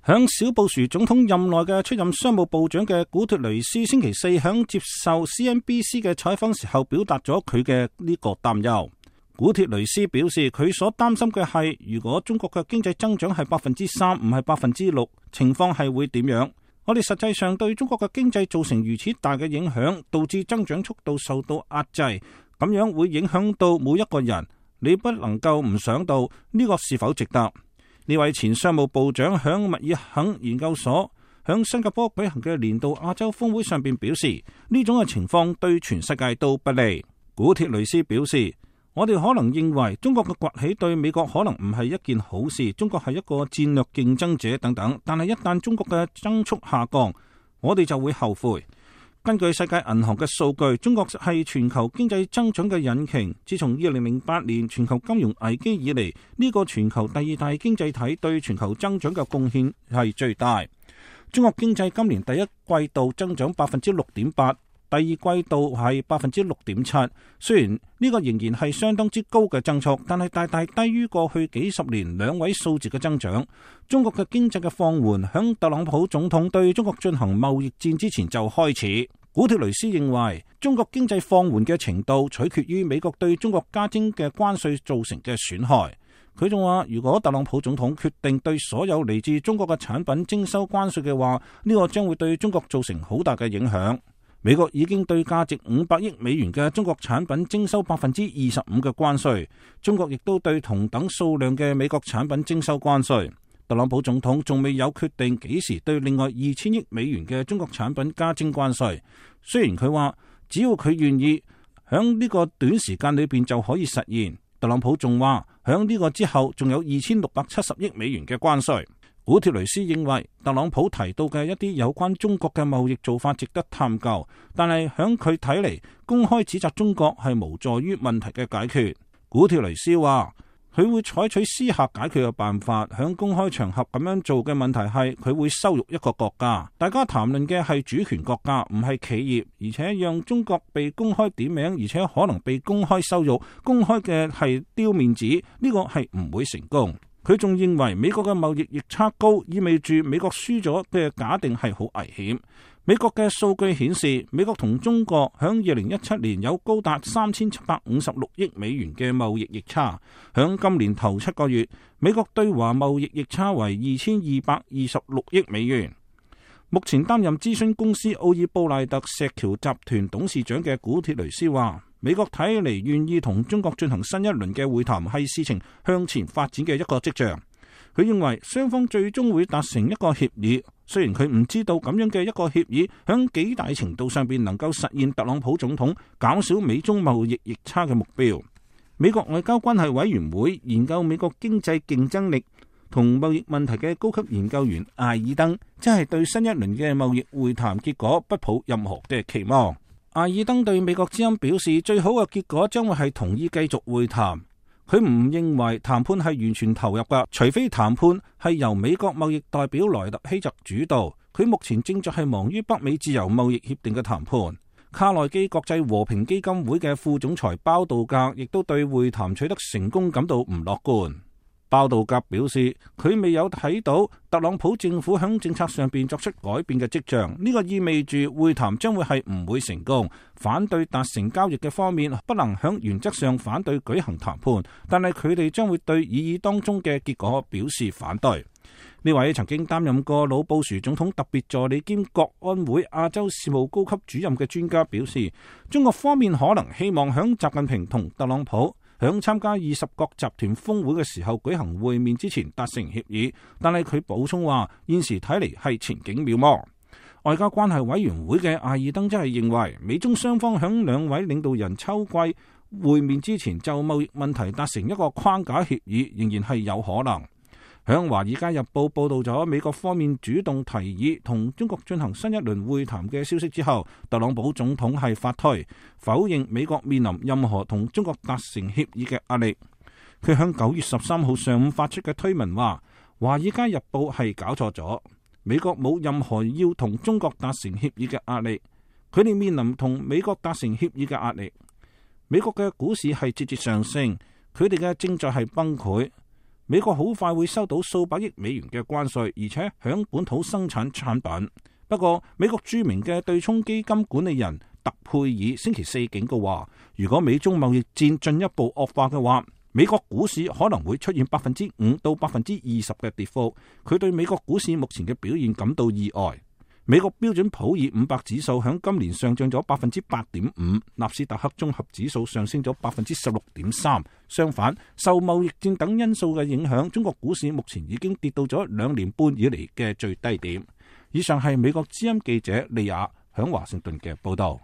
響小布殊總統任內嘅出任商務部長嘅古特雷斯星期四響接受 CNBC 嘅採訪時候表達咗佢嘅呢個擔憂。古特雷斯表示，佢所擔心嘅係，如果中國嘅經濟增長係3%，唔係6%，情況係會點樣？我哋實際上對中國嘅經濟造成如此大嘅影響，導致增長速度受到壓制，咁樣會影響到每一個人。你不能夠唔想到呢個是否值得？呢位前商務部長響密爾肯研究所響新加坡舉行嘅年度亞洲峰會上邊表示，呢種嘅情況對全世界都不利。古鐵雷斯表示，我哋可能認為中國嘅崛起對美國可能唔係一件好事，中國係一個戰略競爭者等等，但係一旦中國嘅增速下降，我哋就會後悔。根據世界銀行嘅數據，中國係全球經濟增長嘅引擎。自從2008年全球金融危機以嚟，呢個全球第二大經濟體對全球增長嘅貢獻係最大。中國經濟今年第一季度增長6.8%，第二季度係6.7%。雖然呢個仍然係相當之高嘅增速，但係大大低於過去幾十年兩位數字嘅增長。中國嘅經濟嘅放緩，響特朗普總統對中國進行貿易戰之前就開始。古特雷斯認為，中國經濟放緩嘅程度取決於美國對中國加徵嘅關稅造成嘅損害。佢仲話，如果特朗普總統決定對所有嚟自中國嘅產品徵收關稅嘅話，呢個將會對中國造成好大嘅影響。美國已經對價值500億美元嘅中國產品徵收25%嘅關稅，中國亦都對同等數量嘅美國產品徵收關稅。特朗普總統仲未有決定幾時對另外2000億美元嘅中國產品加徵關稅。雖然佢話只要佢願意，響呢個短時間裏邊就可以實現。特朗普仲話響呢個之後仲有2670億美元嘅關稅。古鐵雷斯認為特朗普提到嘅一啲有關中國嘅貿易做法值得探究，但係響佢睇嚟，公開指責中國係無助於問題嘅解決。古鐵雷斯話，佢會採取私下解決嘅辦法，響公開場合咁樣做嘅問題係佢會羞辱一個國家。大家談論嘅係主權國家，唔係企業，而且讓中國被公開點名，而且可能被公開羞辱，公開嘅係丟面子，呢個係唔會成功。佢仲認為美國嘅貿易逆差高，意味住美國輸咗嘅假定係好危險。美國嘅數據顯示，美國同中國響2017年有高達3756億美元嘅貿易逆差。響今年頭7個月，美國對華貿易逆差為2226億美元。目前擔任諮詢公司奧爾布賴特石橋集團董事長嘅古鐵雷斯話，美國睇嚟願意同中國進行新一輪嘅會談，係事情向前發展嘅一個跡象。佢認為雙方最終會達成一個協議，雖然佢唔知道咁樣嘅一個協議響幾大程度上邊能夠實現特朗普總統減少美中貿易逆差嘅目標。美國外交關係委員會研究美國經濟競爭力同貿易問題嘅高級研究員艾爾登，即係對新一輪嘅貿易會談結果不抱任何嘅期望。艾爾登對美國之音表示，最好嘅結果將會係同意繼續會談。佢唔認為談判係完全投入㗎，除非談判係由美國貿易代表萊特希澤主導。佢目前正在係忙於北美自由貿易協定嘅談判。卡內基國際和平基金會嘅副總裁包道格亦都對會談取得成功感到唔樂觀。包道格表示，佢未有睇到特朗普政府響政策上邊作出改變嘅跡象，呢個意味住會談將會係唔會成功。反對達成交易嘅方面不能響原則上反對舉行談判，但係佢哋將會對議議當中嘅結果表示反對。呢位曾經擔任過老布殊總統特別助理兼國安會亞洲事務高級主任嘅專家表示，中國方面可能希望響習近平同特朗普響參加20國集團峰會嘅時候舉行會面之前達成協議，但係佢補充話，現時睇嚟係前景渺茫。外交關係委員會嘅艾爾登則係認為，美中雙方響兩位領導人秋季會面之前就貿易問題達成一個框架協議，仍然係有可能。響《華爾街日報》報道咗美國方面主動提議同中國進行新一輪會談嘅消息之後，特朗普總統係發推否認美國面臨任何同中國達成協議嘅壓力。佢響9月13號上午發出嘅推文話，《華爾街日報》係搞錯咗，美國冇任何要同中國達成協議嘅壓力，佢哋面臨同美國達成協議嘅壓力。美國嘅股市係節節上升，佢哋嘅正在係崩潰。美國好快會收到數百億美元嘅關稅，而且響本土生產產品。不過，美國著名嘅對沖基金管理人特佩爾星期四警告話，如果美中貿易戰進一步惡化嘅話，美國股市可能會出現5%到20%嘅跌幅。佢對美國股市目前嘅表現感到意外。美國標準普爾500指數響今年上漲咗8.5%，納斯達克綜合指數上升咗16.3%。相反，受貿易戰等因素嘅影響，中國股市目前已經跌到咗2年半以嚟嘅最低點。以上係美國之音記者利亞響華盛頓嘅報道。